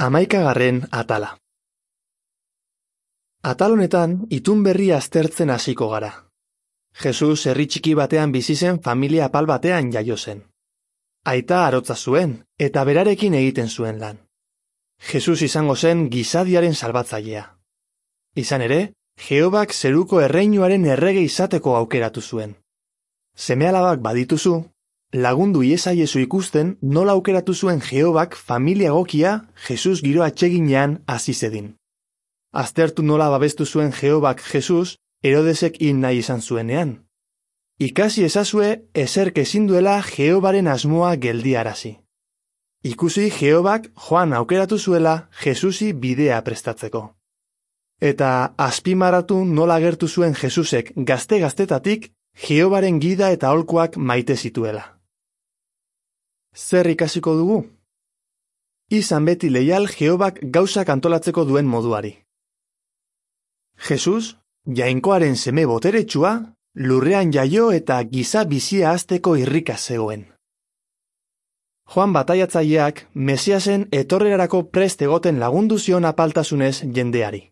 11. atala. Atal honetan, itun berria aztertzen hasiko gara. Jesus herri txiki batean bizi zen familia apal batean jaio zen. Aita arotza zuen, eta berarekin egiten zuen lan. Jesus izango zen gizadiaren salbatzailea. Izan ere, Jehobak zeruko erreinuaren errege izateko aukeratu zuen. Seme-alabak badituzu, lagundu iezaiezu ikusten nola aukeratu zuen Jehobak familia egokia Jesus giro atseginean hasi zedin. Aztertu nola babestu zuen Jehobak Jesus Herodesek hil nahi izan zuenean. Ikasi ezazue ezerk ezin duela Jehobaren asmoa geldiarazi. Ikusi Jehobak Joan aukeratu zuela Jesusi bidea prestatzeko. Eta azpimarratu nola agertu zuen Jesusek gazte-gaztetatik Jehobaren gida eta aholkuak maite zituela. Zer ikasiko dugu? Izan beti leial Jehobak gauzak antolatzeko duen moduari. Jesus, jainkoaren seme boteretsua, lurrean jaio eta giza bizia hasteko irrika zegoen. Joan bataiatzaileak Mesiasen etorrerarako prest egoten lagundu zion apaltasunez jendeari.